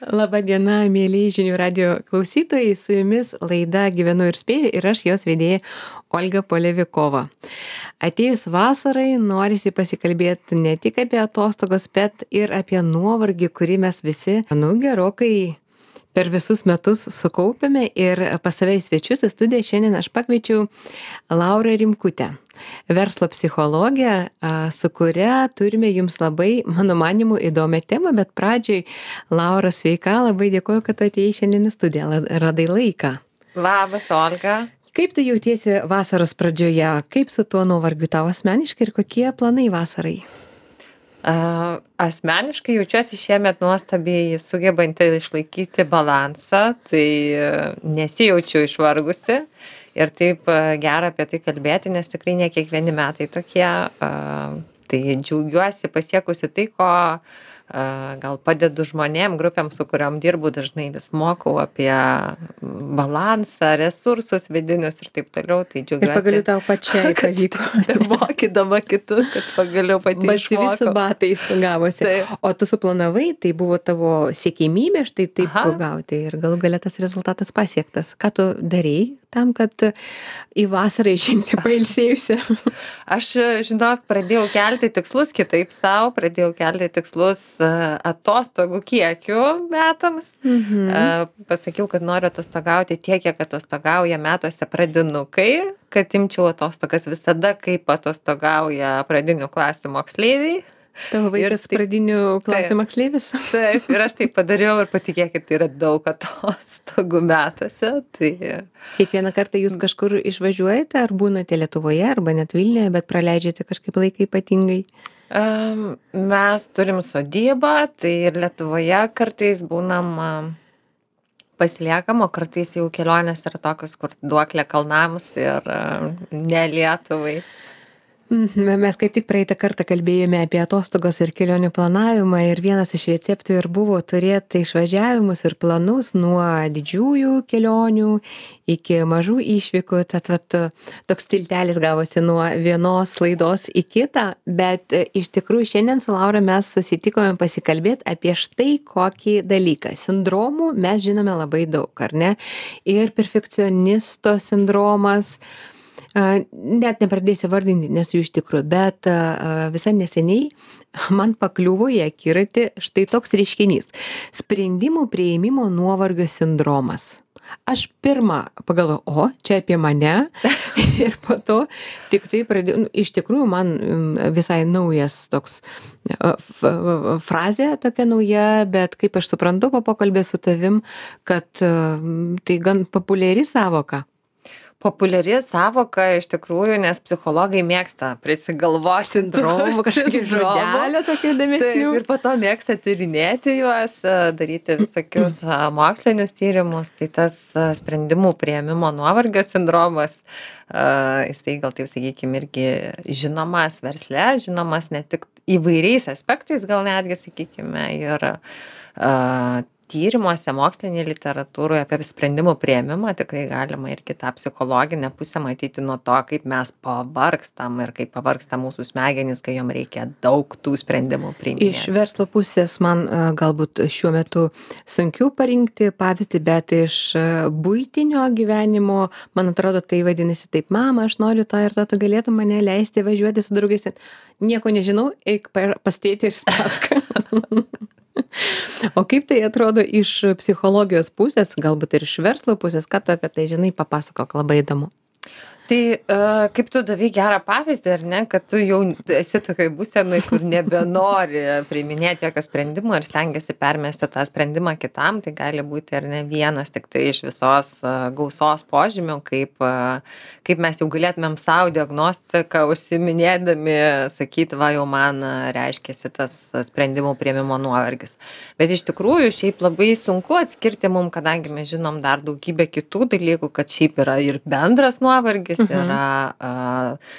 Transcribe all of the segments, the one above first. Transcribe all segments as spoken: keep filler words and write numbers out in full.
Labą dieną, mėlyje žinių radio klausytojai, su jumis laida Gyvenu ir spėju ir aš jos vedėja Olga Polevikova. Atėjus vasarai norisi pasikalbėti ne tik apie atostogas, bet ir apie nuovargį, kurį mes visi, nu, gerokai per visus metus sukaupėme ir pas save į svečius į studiją šiandien aš pakviečiau Laurą Rimkutę, verslo psichologę, su kuria turime jums labai, mano manimu, įdomią temą, bet pradžiai, Laura, sveika, labai dėkoju, kad atėjai šiandien į studiją, radai laiką. Labas, Olga. Kaip tu jautiesi vasaros pradžioje? Kaip su tuo nuovargiu tau asmeniškai ir kokie planai vasarai? Uh, asmeniškai jaučiuosi šiemet nuostabiai sugebanti išlaikyti balansą, tai nesijaučiu išvargusi ir taip gera apie tai kalbėti, nes tikrai ne kiekvieni metai tokie. Uh, tai džiaugiuosi pasiekusi tai, ko uh, gal padedu žmonėm, grupėm, su kuriam dirbu, dažnai vis mokau apie balansą, resursus vidinius ir taip toliau. Tai džiaugiuosi. Ir pagaliau tau pačiai pavyko. Ir mokydama kitus, kad pagaliau pati išmokau. Batsiuvi su batais gavosi. Taip. O tu suplanavai, tai buvo tavo siekimybė štai taip Aha. gauti ir galų galia tas rezultatas pasiektas. Ką tu darei tam, kad į vasarą išimti pailsėjusi? Aš, žinok, pradėjau kelti tikslus kitaip savo, pradėjau kelti tikslus atostogų kiekių metams. Mhm. Pasakiau, kad noriu atostogauti tiek, kiek atostogauja metuose pradinukai, kad imčiau atostogas visada, kaip atostogauja pradinių klasių moksleiviai. Tavo vaikas taip, pradinių klasių moksleivis? Taip, ir aš tai padariau ir patikėkit, tai yra daug atostogų metuose. Tai... Kiekvieną kartą jūs kažkur išvažiuojate, ar būnate Lietuvoje, arba net Vilniuje, bet praleidžiate kažkaip laiką ypatingai? Um, mes turim sodybą, tai ir Lietuvoje kartais būnam um, pasiliekam, o kartais jau kelionės yra tokios, kur duoklė kalnams ir um, ne Lietuvai. Mes kaip tik praeitą kartą kalbėjome apie atostogos ir kelionių planavimą ir vienas iš receptų ir buvo turėti išvažiavimus ir planus nuo didžiųjų kelionių iki mažų išvykų. Tad vat, toks tiltelis gavosi nuo vienos laidos į kitą, bet iš tikrųjų šiandien su Laura mes susitikome pasikalbėti apie štai kokį dalyką. Sindromų mes žinome labai daug, ar ne? Ir perfekcionisto sindromas, net nepradėsiu vardinti, nes jų iš tikrųjų, bet visai neseniai man pakliuvo į akiratį štai toks reiškinys. Sprendimų priėmimo nuovargio sindromas. Aš pirmą pagalvojau, o, čia apie mane ir po to tik tai pradėjau, nu, iš tikrųjų man visai naujas toks frazė tokia nauja, bet kaip aš suprantu po pokalbė su tavim, kad tai gan populiari savoka. Populiari savoka iš tikrųjų, nes psichologai mėgsta prisigalvoti sindromų, kažkokį žodelį tokių įdomesnių. Ir po to mėgsta tyrinėti juos, daryti visokius mokslinius tyrimus. Tai tas sprendimų priėmimo nuovargio sindromas, jisai gal taip sakykime irgi žinomas versle, žinomas ne tik įvairiais aspektais, gal netgi sakykime ir tyrimuose, mokslinėje literatūroje apie sprendimų priėmimą tikrai galima irgi tą psichologinę pusę matyti nuo to, kaip mes pavargstam ir kaip pavargsta mūsų smegenys, kai jom reikia daug tų sprendimų priimti. Iš verslo pusės man galbūt šiuo metu sunkiau parinkti pavyzdį, bet iš buitinio gyvenimo, man atrodo, tai vadinasi taip, mama, aš noriu tą ir tą, tu galėtum mane leisti važiuoti su draugais. Nieko nežinau, eik pas tėtį ir spręsk. O kaip tai atrodo iš psichologijos pusės, galbūt ir iš verslo pusės, ką tu apie tai žinai, papasakok, labai įdomu. Tai kaip tu davai gerą pavyzdį, ar ne, kad tu jau esi tokioj būsenoj, kur nebenori priiminėti jokio sprendimo ir stengiasi permesti tą sprendimą kitam, tai gali būti ar ne vienas tik tai iš visos gausos požymių, kaip, kaip mes jau galėtumėm savo diagnostiką užsiminėdami sakyti, va jau man reiškiasi tas sprendimų priėmimo nuovargis. Bet iš tikrųjų šiaip labai sunku atskirti mum, kadangi mes žinom dar daugybę kitų dalykų, kad šiaip yra ir bendras nuovargis, yra uh,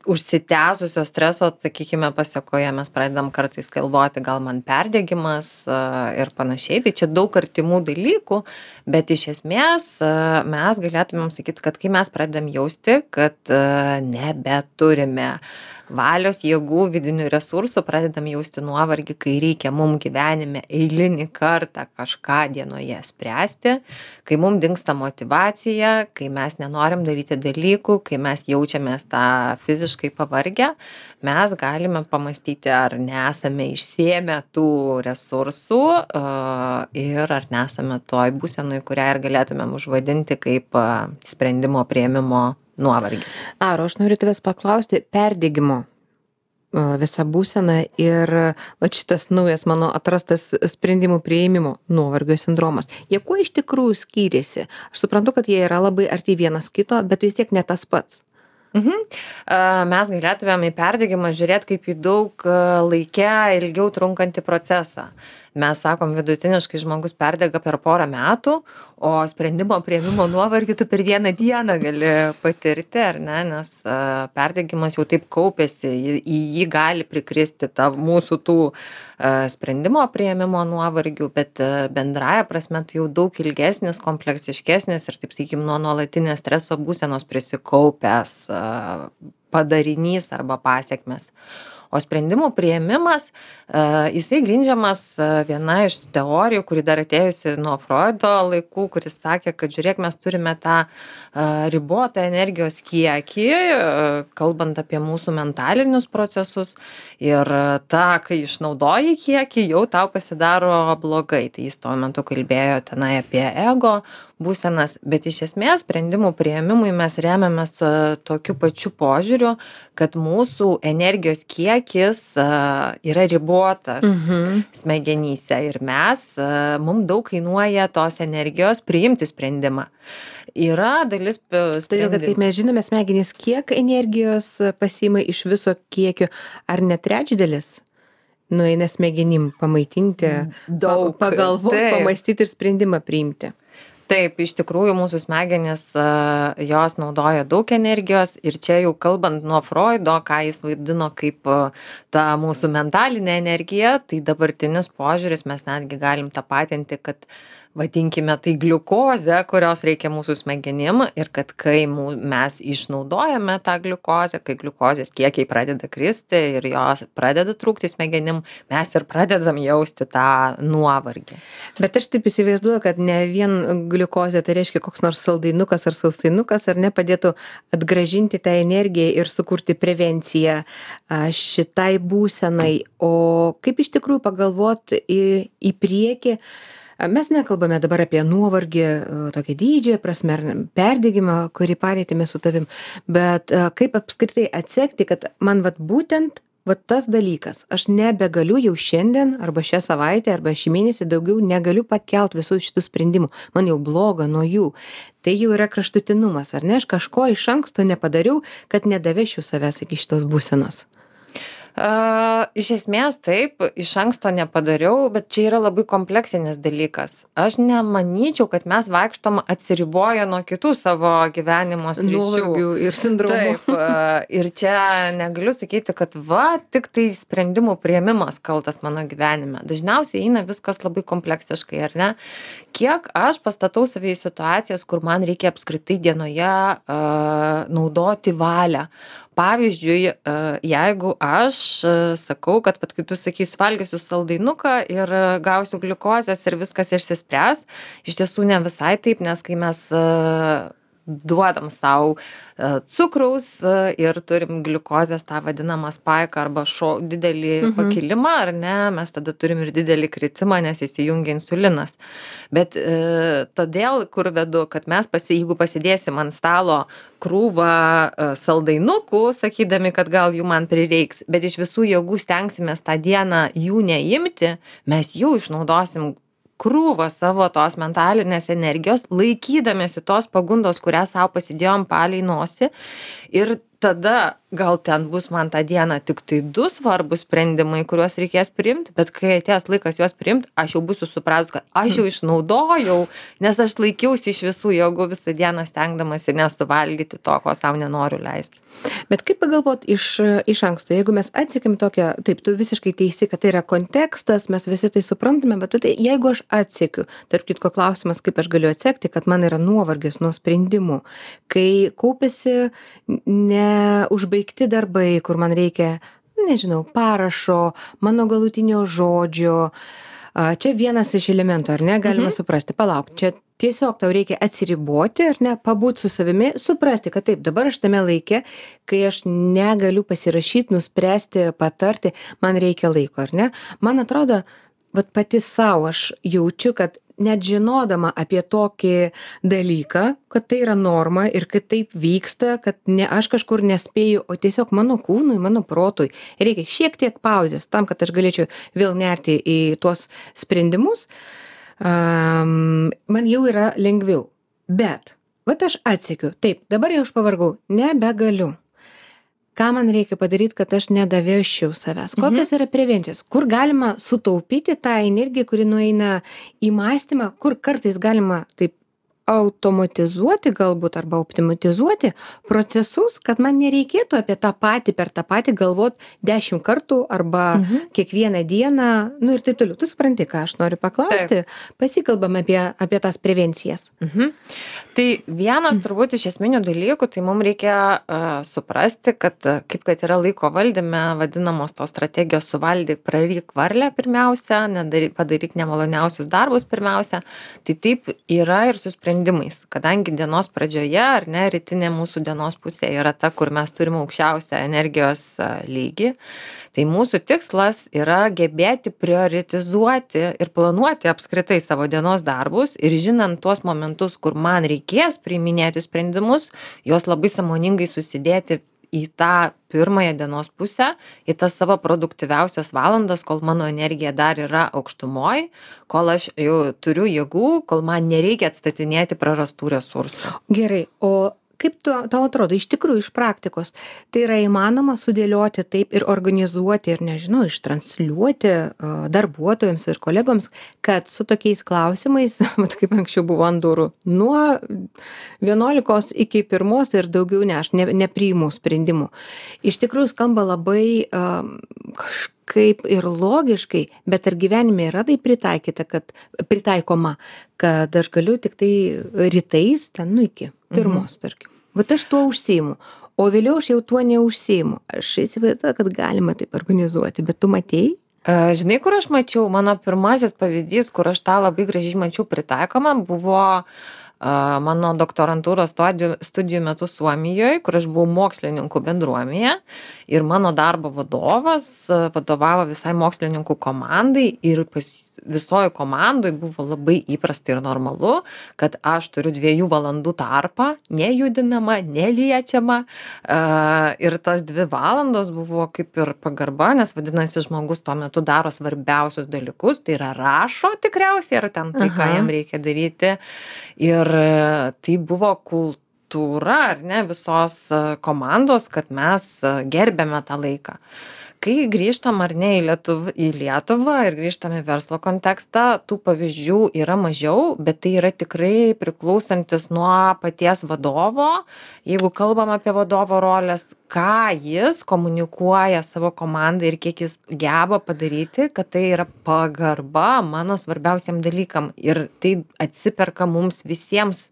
užsitęsusio streso, sakykime, pasekoje mes pradedam kartais galvoti, gal man perdegimas uh, ir panašiai. Tai čia daug artimų dalykų, bet iš esmės uh, mes galėtumėm sakyti, kad kai mes pradedam jausti, kad uh, nebeturime valios jėgų, vidinių resursų, pradedam jausti nuovargį, kai reikia mum gyvenime eilinį kartą kažką dienoje spręsti, kai mum dingsta motyvacija, kai mes nenorim daryti dalykų, kai mes jaučiamės tą fiziškai pavargę, mes galime pamastyti, ar nesame išsėmę tų resursų uh, ir ar nesame toj būsenoj, kurią ir galėtumėm užvadinti kaip uh, sprendimo priėmimo nuovargis. Aro, aš noriu tavęs paklausti perdegimo uh, visą būseną ir va šitas naujas mano atrastas sprendimų priėmimo nuovargio sindromas. Jie kuo iš tikrųjų skyrėsi? Aš suprantu, kad jie yra labai arti vienas kito, bet vis tiek ne tas pats. Mhm. Mes galėtumėm į perdegimą žiūrėti kaip į daug laike ilgiau trunkantį procesą. Mes sakom, vidutiniškai žmogus perdega per porą metų, o sprendimo priėmimo nuovargį tu per vieną dieną gali patirti, ar ne, nes perdegimas jau taip kaupėsi, į jį gali prikristi ta mūsų tų sprendimo priėmimo nuovargių, bet bendraja prasme tai jau daug ilgesnis, kompleksiškesnis ir, taip sakykim, nuo nuolatinės streso būsenos prisikaupęs padarinys arba pasekmes. O sprendimų priėmimas, jisai grindžiamas viena iš teorijų, kuri dar atėjusi nuo Freudo laikų, kuris sakė, kad žiūrėk, mes turime tą ribotą energijos kiekį, kalbant apie mūsų mentalinius procesus, ir tą, kai išnaudoji kiekį, jau tau pasidaro blogai. Tai jis tuo metu kalbėjo tenai apie ego būsenas, bet iš esmės sprendimų priėmimui mes remiamės tokiu pačiu požiūriu, kad mūsų energijos kiekis yra ribotas mhm. smegenyse ir mes, mums daug kainuoja tos energijos priimti sprendimą. Yra dalis sprendimų. Todėl, kad kaip mes žinome, smegenys kiek energijos pasiima iš viso kiekio, ar net trečdalis nueina smegenim pamaitinti, daug, pagalvoti, pamastyti ir sprendimą priimti. Taip, iš tikrųjų mūsų smegenys, jos naudoja daug energijos ir čia jau kalbant nuo Freudo, ką jis vaidino kaip tą mūsų mentalinę energiją, tai dabartinis požiūris mes netgi galim tapatinti, kad vadinkime tai gliukozę, kurios reikia mūsų smegenim ir kad kai mes išnaudojame tą gliukozę, kai gliukozės kiekiai pradeda kristi ir jos pradeda trūkti smegenim, mes ir pradedam jausti tą nuovargį. Bet aš taip įsivaizduoju, kad ne vien gliukozė, tai reiškia koks nors saldainukas ar sausainukas, ar ne, padėtų atgrąžinti tą energiją ir sukurti prevenciją šitai būsenai. O kaip iš tikrųjų pagalvoti į, į priekį? Mes nekalbame dabar apie nuovargį, tokią dydžiąją prasme, ar perdegimą, kurį palėtėme su tavim, bet kaip apskritai atsekti, kad man vat būtent vat tas dalykas, aš nebegaliu jau šiandien, arba šią savaitę, arba šį mėnesį daugiau negaliu pakelt visų šitų sprendimų, man jau bloga nuo jų. Tai jau yra kraštutinumas, ar ne? Aš kažko iš anksto nepadariau, kad nedavešiu savęs iki šitos būsenos. Uh, iš esmės taip, iš anksto nepadariau, bet čia yra labai kompleksinis dalykas. Aš nemanyčiau, kad mes vaikštom atsiriboję nuo kitų savo gyvenimo sričių. Nuovargių ir sindromų. Taip, uh, ir čia negaliu sakyti, kad va, tik tai sprendimų priėmimas kaltas mano gyvenime. Dažniausiai eina viskas labai kompleksiškai, ar ne? Kiek aš pastatau save į situacijas, kur man reikia apskritai dienoje uh, naudoti valią. Pavyzdžiui, jeigu aš sakau, kad, vat, kaip tu sakysi, valgysiu saldainuką ir gausiu gliukozės ir viskas išsispręs, iš tiesų ne visai taip, nes kai mes duodam sau cukraus ir turim gliukozės tą vadinamą spaiką arba šo, didelį mhm. pakilimą, ar ne, mes tada turim ir didelį kritimą, nes įsijungia insulinas. Bet e, todėl, kur vedu, kad mes, pasi, jeigu pasidėsim ant stalo krūvą e, saldainukų, sakydami, kad gal jų man prireiks, bet iš visų jėgų stengsimės tą dieną jų neimti, mes jau išnaudosim krūvą savo tos mentalinės energijos, laikydamėsi tos pagundos, kurią savo pasidėjom palei nosį, ir tada gal ten bus man tą dieną tik tai du svarbus sprendimai, kuriuos reikės priimti, bet kai atėjęs laikas juos priimti, aš jau būsiu supratus, kad aš jau išnaudojau, nes aš laikiausi iš visų jėgų visą dieną stengdamasi nesuvalgyti to, ko savo nenoriu leisti. Bet kaip pagalvot iš, iš anksto, jeigu mes atsikėm tokią, taip, tu visiškai teisi, kad tai yra kontekstas, mes visi tai suprantame, bet tai, jeigu aš atsiekiu, tarp kitko klausimas, kaip aš galiu atsekti, kad man yra nuovargis nuo sprendimų, kai kaupiasi ne neužbaigti darbai, kur man reikia, nežinau, parašo, mano galutinio žodžio. A, Čia vienas iš elementų, ar ne, galima Mhm. suprasti, palauk, čia tiesiog tau reikia atsiriboti, ar ne, pabūti su savimi, suprasti, kad taip, dabar aš tame laike, kai aš negaliu pasirašyti, nuspręsti, patarti, man reikia laiko, ar ne. Man atrodo, vat pati savo aš jaučiu, kad net žinodama apie tokį dalyką, kad tai yra norma ir kad taip vyksta, kad ne aš kažkur nespėju, o tiesiog mano kūnui, mano protui reikia šiek tiek pauzės tam, kad aš galėčiau vėl nerti į tuos sprendimus, um, man jau yra lengviau. Bet, vat aš atsekiu, taip, dabar jau aš pavargau, nebegaliu. Ką man reikia padaryti, kad aš nedavėščiau savęs? Kokios yra prevencijos? Kur galima sutaupyti tą energiją, kuri nueina į mąstymą, kur kartais galima taip automatizuoti galbūt arba optimatizuoti procesus, kad man nereikėtų apie tą patį per tą patį galvot dešimt kartų arba Mhm. kiekvieną dieną, nu ir taip toliau. Tu supranti, ką aš noriu paklausti? Pasikalbam apie, apie tas prevencijas. Mhm. Tai vienas turbūt iš esminių dalykų, tai mums reikia uh, suprasti, kad uh, kaip kad yra laiko valdyme, vadinamos tos strategijos suvaldyk, praryk varlę pirmiausia, nedaryk, padaryk nemaloniausius darbus pirmiausia, tai taip yra ir su sprendimais. Kadangi dienos pradžioje, ar ne, rytinė mūsų dienos pusė yra ta, kur mes turime aukščiausią energijos uh, lygį, tai mūsų tikslas yra gebėti prioritizuoti ir planuoti apskritai savo dienos darbus ir žinant tuos momentus, kur man reikės priiminėti sprendimus, juos labai sąmoningai susidėti į tą pirmąją dienos pusę, į tas savo produktyviausias valandas, kol mano energija dar yra aukštumoj, kol aš jau turiu jėgų, kol man nereikia atstatinėti prarastų resursų. Gerai, o kaip tu, tau atrodo, iš tikrųjų, iš praktikos, tai yra įmanoma sudėlioti taip ir organizuoti ir, nežinau, ištransliuoti uh, darbuotojams ir kolegoms, kad su tokiais klausimais, mat kaip anksčiau buvo ant durų, nuo vienuolikos iki pirmos ir daugiau ne, aš ne, nepriimu sprendimų. Iš tikrųjų skamba labai um, kažkaip ir logiškai, bet ar gyvenime yra tai pritaikyta, kad pritaikoma, kad aš galiu tik tai rytais, ten, nu iki pirmos, tarkim. Vat aš tuo užsiimu, o vėliau aš jau tuo neužsiimu. Aš įsivaizduoju, kad galima taip organizuoti, bet tu matei? Uh, žinai, kur aš mačiau, mano pirmasis pavyzdys, kur aš tą labai gražiai mačiau pritaikoma, buvo uh, mano doktorantūros studijų, studijų metu Suomijoje, kur aš buvau mokslininkų bendruomenėje ir mano darbo vadovas uh, vadovavo visai mokslininkų komandai ir pas visoje komandai buvo labai įprasta ir normalu, kad aš turiu dviejų valandų tarpą, nejudinama, neliečiama uh, ir tas dvi valandos buvo kaip ir pagarba, nes vadinasi, žmogus tuo metu daro svarbiausius dalykus, tai yra rašo tikriausiai, ar ten tai, ką Aha. jam reikia daryti. Ir uh, tai buvo kultūra, ar ne, visos uh, komandos, kad mes uh, gerbėme tą laiką. Kai grįžtam ar ne į, Lietuv, į Lietuvą ir grįžtam į verslo kontekstą, tų pavyzdžių yra mažiau, bet tai yra tikrai priklausantis nuo paties vadovo. Jeigu kalbam apie vadovo rolės, ką jis komunikuoja savo komandai ir kiek jis geba padaryti, kad tai yra pagarba mano svarbiausiam dalykam ir tai atsiperka mums visiems,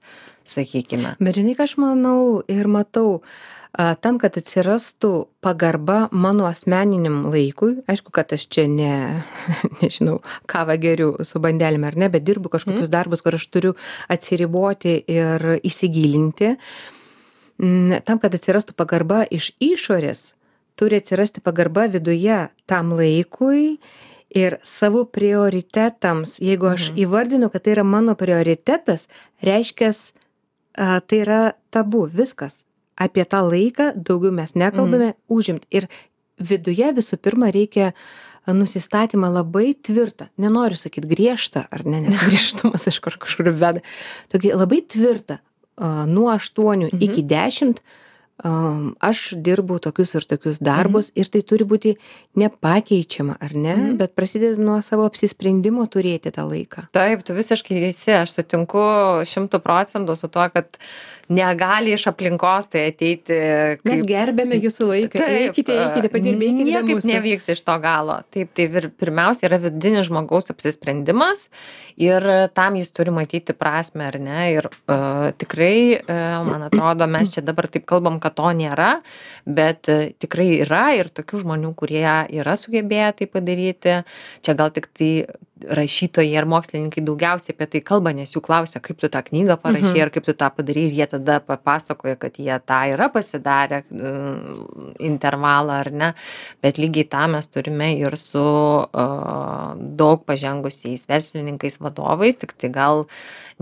sakykime. Bet žinai, ką aš manau ir matau, a, tam, kad atsirastų pagarba mano asmeniniam laikui, aišku, kad aš čia ne, nežinau, kavą geriu su bandelėm ar ne, bet dirbu kažkokius mm. darbus, kur aš turiu atsiriboti ir įsigilinti. Mm, Tam, kad atsirastų pagarba iš išorės, turi atsirasti pagarba viduje tam laikui ir savo prioritetams. Jeigu aš Mhm. įvardinu, kad tai yra mano prioritetas, reiškia, tai yra tabu, viskas. Apie tą laiką daugiau mes nekalbame, mm. užimt. Ir viduje visų pirma reikia nusistatymą labai tvirtą. Nenoriu sakyti griežtą, ar ne, nes griežtumas iš kur kažkur veda. Tokį labai tvirtą, uh, nuo aštuonių mm-hmm. iki dešimt um, aš dirbu tokius ir tokius darbus mm-hmm. ir tai turi būti nepakeičiama, ar ne, mm-hmm. bet prasideda nuo savo apsisprendimo turėti tą laiką. Taip, tu visiškai teisi, aš sutinku šimtų procentų su tuo, kad negali iš aplinkos tai ateiti. Kaip... Mes gerbėme jūsų laiką. Taip, eikite, eikite, padirbėkite. Niekaip nevyks iš to galo. Taip, tai vir, pirmiausia yra vidinis žmogaus apsisprendimas ir tam jis turi matyti prasme, ar ne. Ir uh, tikrai, uh, man atrodo, mes čia dabar taip kalbam, kad kad to nėra, bet tikrai yra ir tokių žmonių, kurie yra sugebėję tai padaryti. Čia gal tik tai rašytojai ar mokslininkai daugiausiai apie tai kalba, nes jų klausia, kaip tu tą knygą parašei, mhm. ar kaip tu tą padarai, ir jie tada papasakoja, kad jie tą yra pasidarę intervalą ar ne, bet lygiai tą mes turime ir su uh, daug pažengusiais verslininkais, vadovais, tik tai gal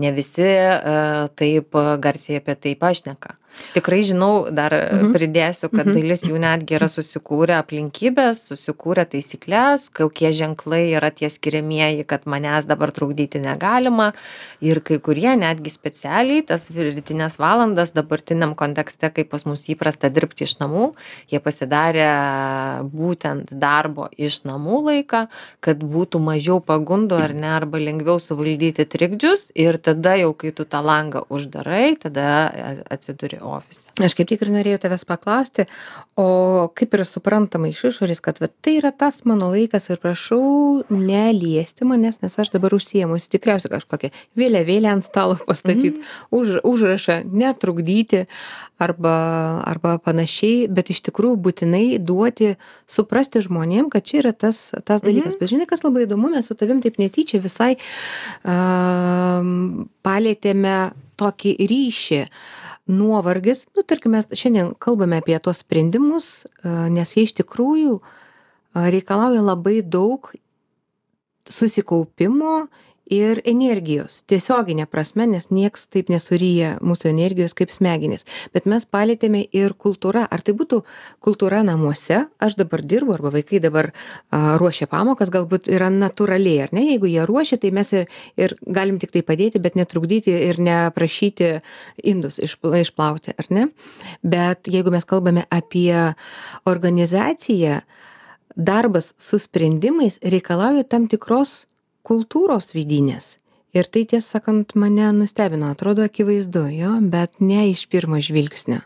ne visi uh, taip garsiai apie tai pašneka. Tikrai žinau, dar mhm. pridėsiu, kad mhm. dalis jų netgi yra susikūrę aplinkybės, susikūrę taisyklės, kokie ženklai yra tie skiriamieji, kad manęs dabar trukdyti negalima, ir kai kurie netgi specialiai tas rytinės valandas dabartiniam kontekste, kaip pas mus įprasta dirbti iš namų, jie pasidarė būtent darbo iš namų laiką, kad būtų mažiau pagundų ar ne, arba lengviau suvaldyti trikdžius, ir tada jau, kai tu tą langą uždarai, tada atsiduri ofise. Aš kaip tik ir norėjau tavęs paklausti, o kaip yra suprantama iš išorės, kad va, tai yra tas mano laikas ir prašau neliesti manęs, nes aš dabar užsiėmusi tikriausiai kažkokią vėliavėlę ant stalo pastatyti, mm-hmm. už, užrašą netrukdyti arba, arba panašiai, bet iš tikrųjų būtinai duoti, suprasti žmonėm, kad čia yra tas, tas dalykas. Mm-hmm. Bet žinai, kas labai įdomu, mes su tavim taip netyčia visai um, palėtėme tokį ryšį. Nuovargis, nu, tarkim, mes šiandien kalbame apie tos sprendimus, nes jie iš tikrųjų reikalauja labai daug susikaupimo ir energijos, tiesioginė prasme, nes nieks taip nesuryja mūsų energijos kaip smegenys. Bet mes palėtėme ir kultūra. Ar tai būtų kultūra namuose, aš dabar dirbu, arba vaikai dabar a, ruošia pamokas, galbūt yra natūraliai, ar ne? Jeigu jie ruošia, tai mes ir, ir galim tik tai padėti, bet netrukdyti ir neprašyti indus išpla, išplauti, ar ne? Bet jeigu mes kalbame apie organizaciją, darbas su sprendimais reikalauja tam tikros kultūros vidinės. Ir tai, tiesą sakant, mane nustebino, atrodo akivaizdu, jo, bet ne iš pirmo žvilgsnio.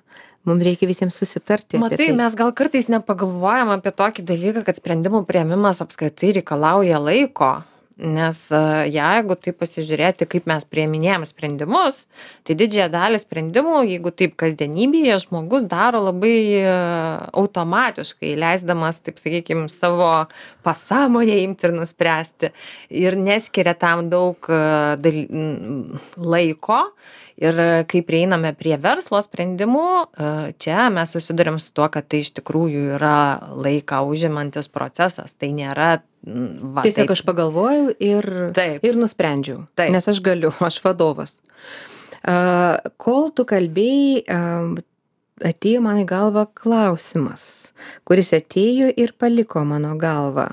Mums reikia visiems susitarti. Matai, tai. Mes gal kartais nepagalvojam apie tokį dalyką, kad sprendimų priėmimas apskritai reikalauja laiko. Nes jeigu taip pasižiūrėti, kaip mes priėminėjam sprendimus, tai didžiąją dalį sprendimų, jeigu taip kasdienybėje, žmogus daro labai automatiškai, leisdamas, taip sakykime, savo pasąmonę imti ir nuspręsti, ir neskiria tam daug laiko. Ir kai prieiname prie verslo sprendimų, čia mes susiduriam su tuo, kad tai iš tikrųjų yra laiką užimantis procesas. Tai nėra... Va, Tiesiog taip. Aš pagalvojau ir, taip. ir nusprendžiau, taip. Nes aš galiu, aš vadovas. Uh, kol tu kalbėjai, uh, atėjo man į galvą klausimas, kuris atėjo ir paliko mano galvą.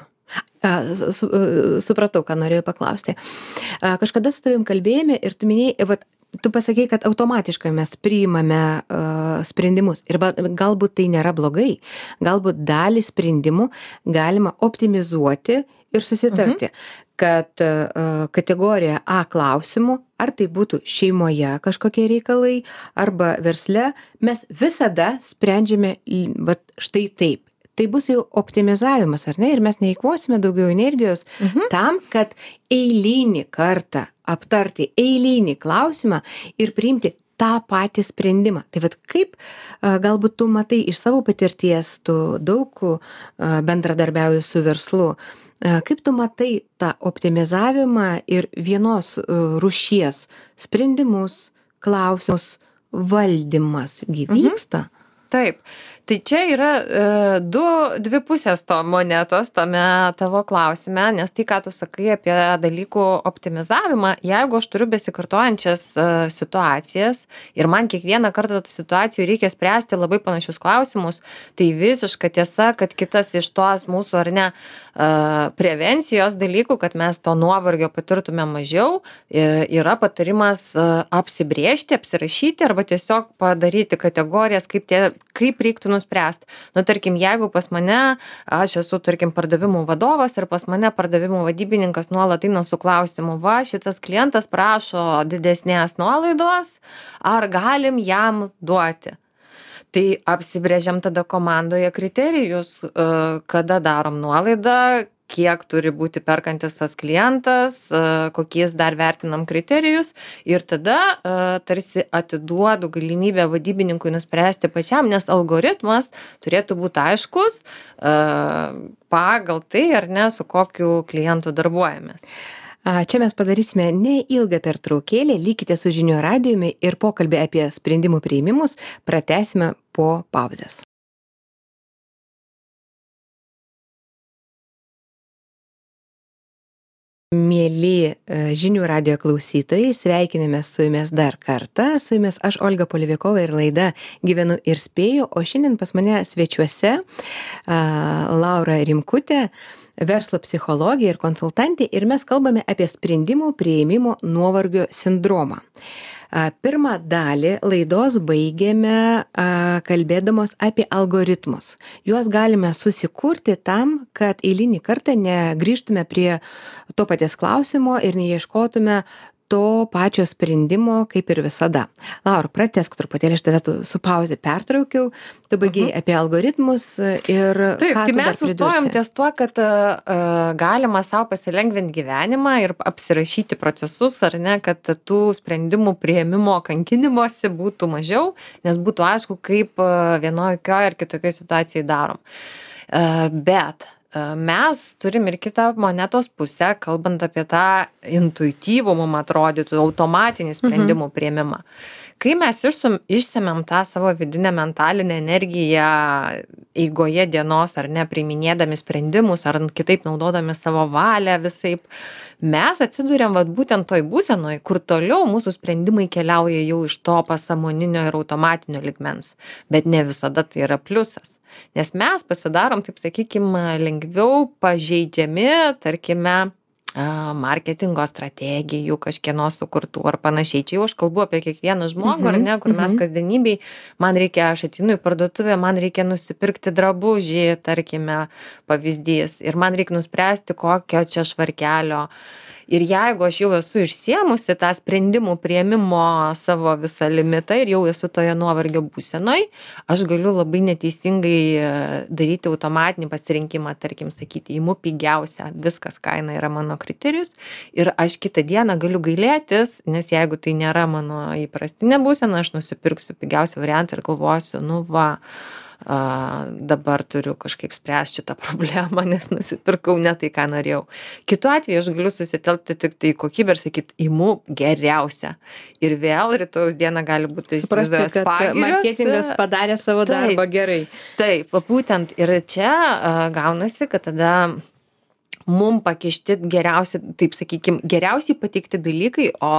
Uh, su, uh, supratau, ką norėjau paklausti. Uh, kažkada su tavim kalbėjome ir tu minėjai, vat, tu pasakei, kad automatiškai mes priimame uh, sprendimus. Ir ba, galbūt tai nėra blogai. Galbūt dalį sprendimų galima optimizuoti ir susitarti. Mhm. Kad uh, kategorija A klausimų, ar tai būtų šeimoje kažkokie reikalai, arba versle, mes visada sprendžiame vat, štai taip. Tai bus jau optimizavimas, ar ne? Ir mes neįkvosime daugiau energijos mhm. tam, kad eilinį kartą aptarti eilinį klausimą ir priimti tą patį sprendimą. Tai vat kaip galbūt tu matai iš savo patirties, tu daug bendradarbiauji su verslu, kaip tu matai tą optimizavimą ir vienos rūšies sprendimus, klausimus, valdymas vyksta? Mhm. Taip, tai čia yra e, du, dvi pusės to monetos tame tavo klausime, nes tai, ką tu sakai apie dalykų optimizavimą, jeigu aš turiu besikartojančias e, situacijas ir man kiekvieną kartą tų situacijų reikia spręsti labai panašius klausimus, tai visiška tiesa, kad kitas iš tos mūsų ar ne e, prevencijos dalykų, kad mes to nuovargio patirtume mažiau, e, yra patarimas e, apsibrėžti, apsirašyti arba tiesiog padaryti kategorijas, kaip tie kaip reiktų nuspręsti. Nu, tarkim, jeigu pas mane, aš esu, tarkim, pardavimų vadovas ir pas mane pardavimų vadybininkas nuolat eina su klausimu, va, šitas klientas prašo didesnės nuolaidos, ar galim jam duoti? Tai apsibrėžiam tada komandoje kriterijus, kada darom nuolaidą, kiek turi būti perkantis tas klientas, kokiais dar vertinam kriterijus ir tada tarsi atiduodu galimybę vadybininkui nuspręsti pačiam, nes algoritmas turėtų būti aiškus pagal tai, ar ne, su kokiu klientu darbuojamės. Čia mes padarysime neilgą pertraukėlę, likite su žinių radijumi ir pokalbį apie sprendimų priėmimus pratęsime po pauzės. Mėly žinių radijo klausytojai, sveikiname su jumis dar kartą. Su jumis aš Olga Polevikova ir laida Gyvenu ir spėju, o šiandien pas mane svečiuose Laura Rimkutė, verslo psichologė ir konsultantė, ir mes kalbame apie sprendimų priėmimo nuovargio sindromą. Pirmą dalį laidos baigėme kalbėdamos apie algoritmus. Juos galime susikurti tam, kad eilinį kartą negrįžtume prie to paties klausimo ir neieškotume to pačio sprendimo kaip ir visada. Laura, pratęsk truputėlį, aš tave su pauze pertraukiau, tu baigei uh-huh. apie algoritmus ir taip, ką tai tu mes sustojom ties tuo, kad uh, galima savo pasilengvinti gyvenimą ir apsirašyti procesus, ar ne, kad tų sprendimų priėmimo kankinimuose būtų mažiau, nes būtų aišku, kaip uh, vienokioje ar kitokioje situacijoje darom. Uh, bet mes turim ir kitą monetos pusę, kalbant apie tą intuityvų, mums atrodytų, automatinį sprendimų mhm. priėmimą. Kai mes išsemiam tą savo vidinę mentalinę energiją eigoje dienos, ar ne, priiminėdami sprendimus, ar kitaip naudodami savo valią visaip, mes atsiduriam vat, būtent toj būsenoj, kur toliau mūsų sprendimai keliauja jau iš to pasąmoninio ir automatinio ligmens. Bet ne visada tai yra pliusas. Nes mes pasidarom, taip sakykime, lengviau pažeidžiami, tarkime, marketingo strategijų kažkieno sukurtų ar panašiai. Čia jau aš kalbu apie kiekvieną žmogų, mm-hmm. ar ne, kur mes kasdienybėj, man reikia, aš ateinu į parduotuvę, man reikia nusipirkti drabužį, tarkime, pavyzdys, ir man reikia nuspręsti, kokio čia švarkelio. Ir jeigu aš jau esu išsiemusi tą sprendimų priėmimo savo visą limitą ir jau esu toje nuovargio būsenoj, aš galiu labai neteisingai daryti automatinį pasirinkimą, tarkim, sakyti, imu pigiausią, viskas kaina yra mano kriterijus ir aš kitą dieną galiu gailėtis, nes jeigu tai nėra mano įprastinė būsena, aš nusipirksiu pigiausią variantą ir galvosiu, nu va, a, dabar turiu kažkaip spręsti šitą problemą, nes nusipirkau ne tai, ką norėjau. Kitu atveju aš galiu susitelkti tik tai kokybę ir sakyti, imu geriausią. Ir vėl rytojaus dieną gali būti įsivaizduojas pagirios. Marketingas padarė savo taip, darbą gerai. Taip, būtent ir čia a, gaunasi, kad tada mum pakišti geriausi, taip sakykim, geriausiai pateikti dalykai, o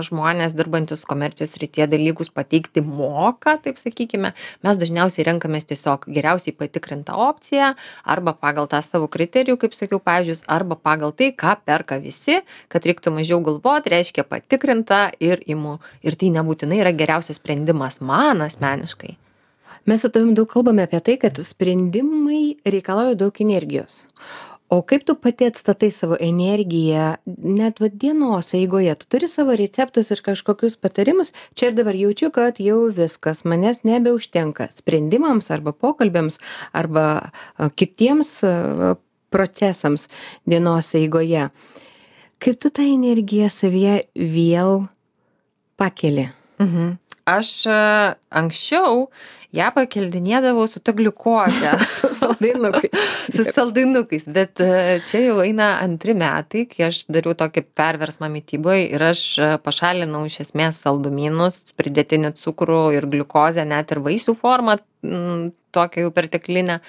žmonės dirbantis komercijos srityje dalykus pateikti moka, taip sakykime, mes dažniausiai renkamės tiesiog geriausiai patikrintą opciją arba pagal tą savo kriterijų, kaip sakiau, pavyzdžius, arba pagal tai, ką perka visi, kad reiktų mažiau galvoti, reiškia patikrinta ir imu. Ir tai nebūtinai yra geriausias sprendimas man asmeniškai. Mes su tavim daug kalbame apie tai, kad sprendimai reikalauja daug energijos. O kaip tu pati atstatai savo energiją, net va dienos eigoje, tu turi savo receptus ir kažkokius patarimus, čia ir dabar jaučiu, kad jau viskas, manęs nebeužtenka sprendimams arba pokalbėms arba kitiems procesams dienos eigoje. Kaip tu tą energiją savyje vėl pakeli? Mhm. Aš anksčiau ją pakeldinėdavau su ta gliukoze. Su saldainukais. Su saldainukais, bet čia jau eina antri metai, kai aš dariau tokį perversmą mityboje ir aš pašalinau iš esmės saldumynus, pridėtinį cukrų ir gliukozę, net ir vaisių formą, tokią jau perteklinę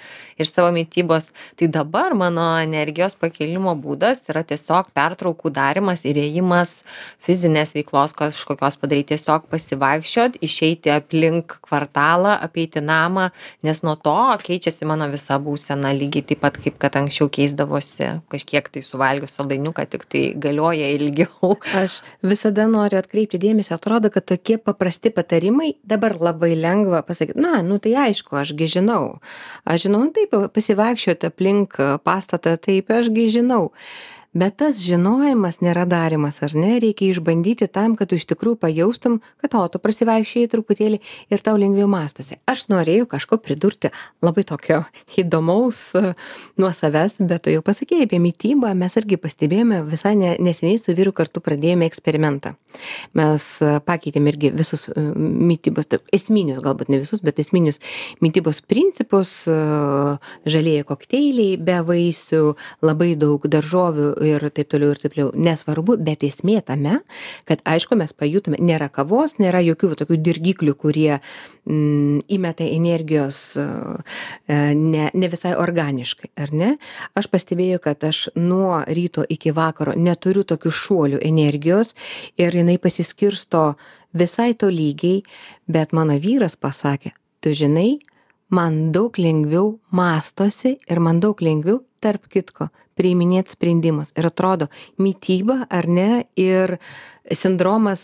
iš savo mitybos. Tai dabar mano energijos pakėlimo būdas yra tiesiog pertraukų darimas ir ėjimas fizinės veiklos kažkokios padaryti, tiesiog pasivaikščiot, išeiti aplink kvartalą, apeiti namą, nes nuo to keičiasi mano visa būsena, lygiai taip pat kaip kad anksčiau keisdavosi kažkiek tai suvalgius saldainiuką, tik tai galioja ilgiau. Aš visada noriu atkreipti dėmesį, atrodo, kad tokie paprasti patarimai dabar labai lengva pasakyti, na, nu tai aišku, ašgi žinau. Aš žinau, taip, pasivaikščioti aplink pastatą, taip, ašgi žinau. Bet tas žinojimas nėra darymas, ar ne? Reikia išbandyti tam, kad tu iš tikrųjų pajaustum, kad o, tu prasivaikščiai truputėlį ir tau lengviau mastosi. Aš norėjau kažko pridurti labai tokio įdomaus uh, nuo savęs, bet tu jau pasakėjai apie mitybą, mes irgi pastebėjome visai ne, neseniai su vyru kartu pradėjome eksperimentą. Mes uh, pakeitėme irgi visus uh, mitybos, esminius, galbūt ne visus, bet esminius mitybos principus, uh, žalieji kokteiliai be vaisių, labai daug daržovių ir taip toliau ir taip toliau. Nesvarbu, bet esmė tame, kad aišku mes pajutome, nėra kavos, nėra jokių tokių dirgiklių, kurie mm, įmeta energijos uh, ne, ne visai organiškai, ar ne? Aš pastebėjau, kad aš nuo ryto iki vakaro neturiu tokių šuolių energijos ir jinai pasiskirsto visai tolygiai, bet mano vyras pasakė, tu žinai, man daug lengviau mastosi ir man daug lengviau, tarp kitko, priiminėti sprendimus. Ir atrodo, mityba ar ne, ir sindromas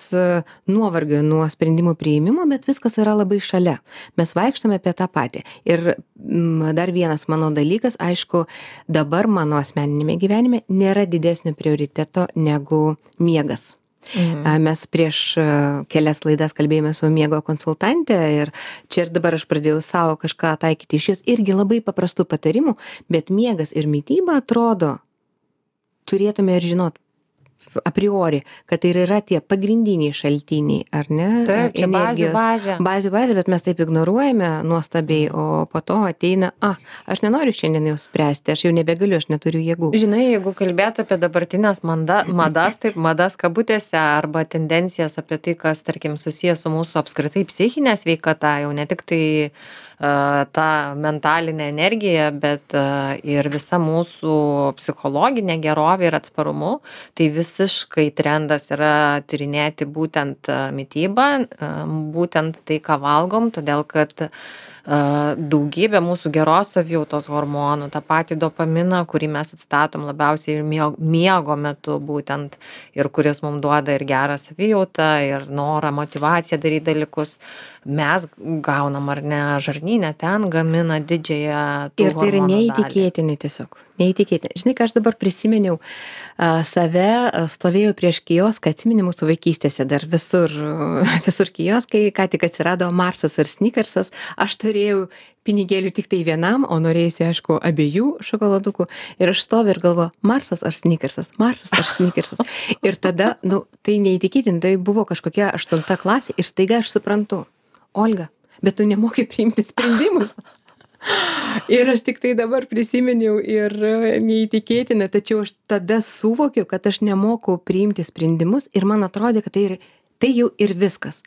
nuovargio nuo sprendimų priėmimo, bet viskas yra labai šalia. Mes vaikštame apie tą patį. Ir m, dar vienas mano dalykas, aišku, dabar mano asmeninėme gyvenime nėra didesnio prioriteto negu miegas. Mhm. Mes prieš kelias laidas kalbėjome su miego konsultante ir čia ir dabar aš pradėjau savo kažką taikyti iš jos irgi labai paprastų patarimų, bet miegas ir mityba atrodo, turėtume ir žinot a priori, kad tai ir yra tie pagrindiniai šaltiniai, ar ne? Taip, čia bazių bazė. Bazių bazė, bet mes taip ignoruojame nuostabiai, o po to ateina, a, aš nenoriu šiandien jau spręsti, aš jau nebegaliu, aš neturiu jėgų. Žinai, jeigu kalbėt apie dabartinės manda, madas, taip, madas kabutėse arba tendencijas apie tai, kas, tarkim, susijęs su mūsų apskritai psichinė sveikata, jau ne tik tai uh, ta mentalinė energija, bet uh, ir visa mūsų psichologinė gerovė ir atsparumu, tai visiškai trendas yra tyrinėti būtent mitybą, būtent tai, ką valgom, todėl kad daugybė mūsų geros savijautos hormonų, tą patį dopaminą, kurį mes atstatom labiausiai ir miego metu būtent, ir kuris mums duoda ir gerą savijautą, ir norą, motyvaciją daryti dalykus, mes gaunam ar ne žarnyne, ten gamina didžiąją tų hormonų dalį. Ir tai yra neįtikėtinai tiesiog. Neįtikėtinai. Žinai, ką aš dabar prisiminiau a, save, a, stovėjau prieš kioską, atsimeni mūsų vaikystėse, dar visur, visur kioskai, ką tik atsirado Marsas ar Snickersas, aš turėjau pinigėlių tik tai vienam, o norėjusi, aišku, abiejų šokoladukų. Ir aš stoviu ir galvoju, Marsas ar Snickersas, Marsas ar Snickersas. Ir tada, nu, tai neįtikėtinai, tai buvo kažkokia aštunta klasė ir staiga aš suprantu, Olga, bet tu nemoki priimti sprendimus. Ir aš tik tai dabar prisiminiau ir neįtikėtina, tačiau aš tada suvokiau, kad aš nemoku priimti sprendimus ir man atrodė, kad tai, ir, tai jau ir viskas.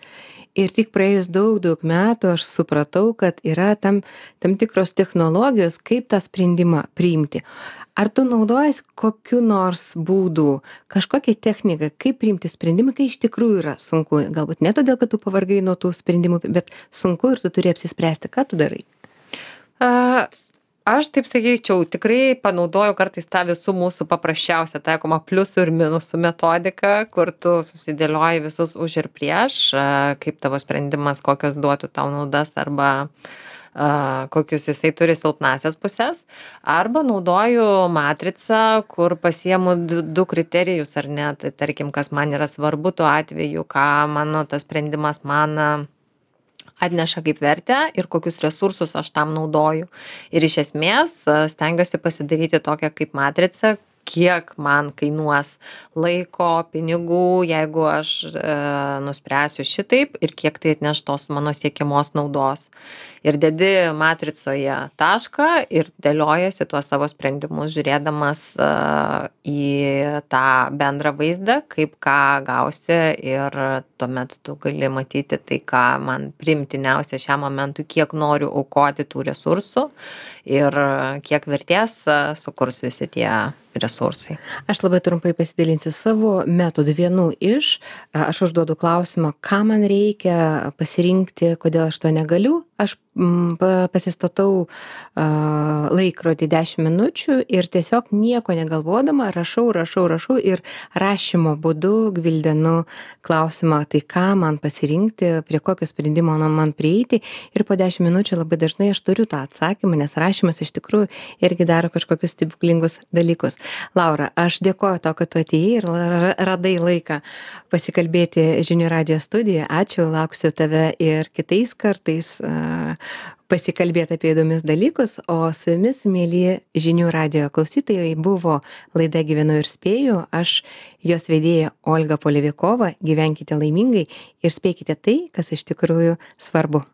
Ir tik praėjus daug, daug metų aš supratau, kad yra tam, tam tikros technologijos, kaip tą sprendimą priimti. Ar tu naudojas kokiu nors būdu, kažkokią techniką, kaip priimti sprendimą, kai iš tikrųjų yra sunku? Galbūt ne todėl, kad tu pavargai nuo tų sprendimų, bet sunku ir tu turi apsispręsti, ką tu darai. Uh, aš taip sakyčiau, tikrai panaudoju kartais tą visų mūsų paprasčiausią taikomą pliusų ir minusų metodiką, kur tu susidėlioji visus už ir prieš, uh, kaip tavo sprendimas, kokios duotų tau naudas arba uh, kokius jisai turi silpnasias pusės. Arba naudoju matricą, kur pasiemu du, du kriterijus ar ne, tai tarkim, kas man yra svarbu tuo atveju, ką mano tas sprendimas man atneša kaip vertę ir kokius resursus aš tam naudoju. Ir iš esmės stengiuosi pasidaryti tokią kaip matricą, kiek man kainuos laiko, pinigų, jeigu aš e, nuspręsiu šitaip ir kiek tai atneš tos mano siekiamos naudos. Ir dedi matricoje tašką ir dėliojasi tuos savo sprendimus, žiūrėdamas uh, į tą bendrą vaizdą, kaip ką gausi ir tuomet tu gali matyti tai, ką man priimtiniausia šiam momentui, kiek noriu aukoti tų resursų ir kiek vertės uh, sukurs visi tie resursai. Aš labai trumpai pasidalinsiu savo metodų. Vienu iš, aš užduodu klausimą, ką man reikia pasirinkti, kodėl aš to negaliu, aš mm, pa- pasistatau a, laikrodį dešimt minučių ir tiesiog nieko negalvodama rašau, rašau, rašau ir rašymo būdu gvildenu klausimą, tai ką man pasirinkti, prie kokio sprendimo na- man prieiti ir po dešimt minučių labai dažnai aš turiu tą atsakymą, nes rašymas iš tikrųjų irgi daro kažkokius stebuklingus dalykus. Laura, aš dėkoju tau, kad tu atėjai ir ra- radai laiką pasikalbėti žinių radio studijoje. Ačiū, lauksiu tave ir kitais kartais a, pasikalbėti apie įdomius dalykus. O su jumis, mėly žinių radio klausytojai, buvo laida Gyvenu ir spėju. Aš jos vedėja Olga Polevikova. Gyvenkite laimingai ir spėkite tai, kas iš tikrųjų svarbu.